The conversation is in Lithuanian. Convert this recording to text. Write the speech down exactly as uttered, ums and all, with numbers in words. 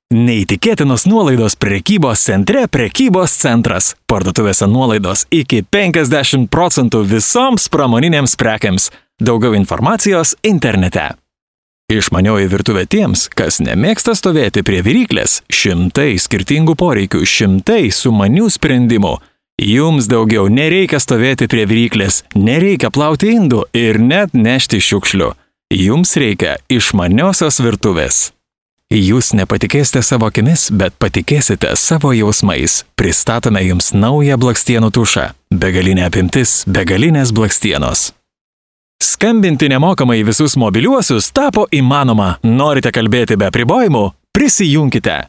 Neįtikėtinos nuolaidos prekybos centre Prekybos centras. Parduotuvėse nuolaidos iki penkiasdešimt procentų visoms pramoninėms prekiams. Daugiau informacijos internete. Išmanioji virtuvė tiems, kas nemėgsta stovėti prie viryklės, šimtai skirtingų poreikių, šimtai sumanių sprendimų. Jums daugiau nereikia stovėti prie viryklės, nereikia plauti indų ir net nešti šiukšlių. Jums reikia išmaniosios virtuvės. Jūs nepatikėsite savo akimis, bet patikėsite savo jausmais. Pristatome jums naują blakstienų tušą. Begalinė apimtis, begalinės blakstienos. Skambinti nemokamai visus mobiliuosius tapo įmanoma. Norite kalbėti be apribojimų? Prisijunkite.